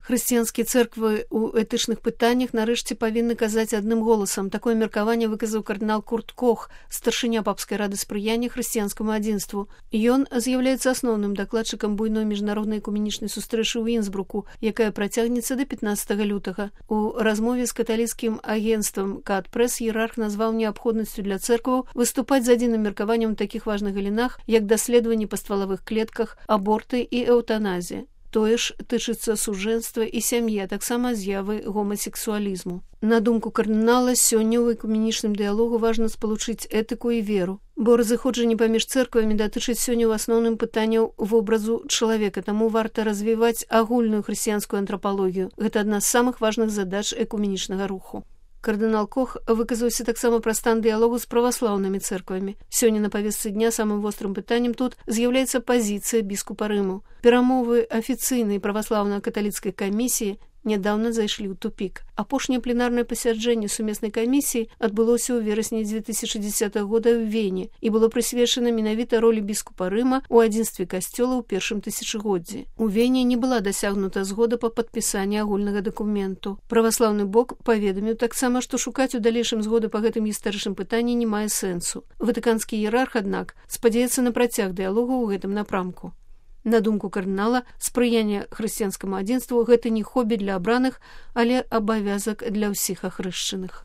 Хрысціянскія цэрквы ў этычных пытаннях нарэшце павінны казаць адным голасам. Такое меркаванне выказаў кардынал Курт Кох, старшыня папскай рады спрыяння хрысціянскаму адзінству. Ён з'яўляецца асноўным дакладчыкам буйной міжнароднай экуменічнай сустрэчы ў Інсбруку, якая працягнецца да 15 лютага. У размове з каталіцкім агенцтвам КАТ-прэс іерарх назваў неабходнасцю для цэркваў выступаць з адзіным меркаваннем у такіх важных галінах, як даследаванні па ствалавых клетках, аборты і эўтаназія. Тое ж тычыцца сужэнства і сям'і, а таксама з'явы гомасексуалізму. На думку кардынала, сёння ў экуменічным дыялогу важна спалучыць этыку і веру, бо разыходжанне паміж цэрквамі датычыць сёння ў асноўным пытанняў вобразу чалавека, таму варта развіваць агульную хрысціянскую антрапалогію. Гэта адна з самых важных задач экуменічнага руху. Кардынал Кох выказаўся таксама пра стан дыялогу з праваслаўнымі цэрквамі. Сёння на павестцы дня самым вострым пытаннем тут з'яўляецца пазіцыя біскупа Рыму. Перамовы афіцыйнай праваслаўна-каталіцкай камісіі нядаўна зайшлі ў тупік. Апошняе пленарнае пасяджэнне сумеснай камісіі адбылося ў верасні 2010 года ў Вене і было прысвечана менавіта ролі біскупа Рыма ў адзінстве касцёла ў першым тысячагоддзі. У Вене не была дасягнута згода па падпісанні агульнага дакументу. Праваслаўны бок паведаміў таксама, што шукаць у далейшым згоды па гэтым гістарычным пытанні не мае сэнсу. Ватыканскі іерарх, аднак, спадзяецца на працяг дыялогу ў гэтым напрамку. На думку кардынала, спрыянне хрысціянскаму адзінству – гэта не хобі для абраных, але абавязак для ўсіх ахрышчаных.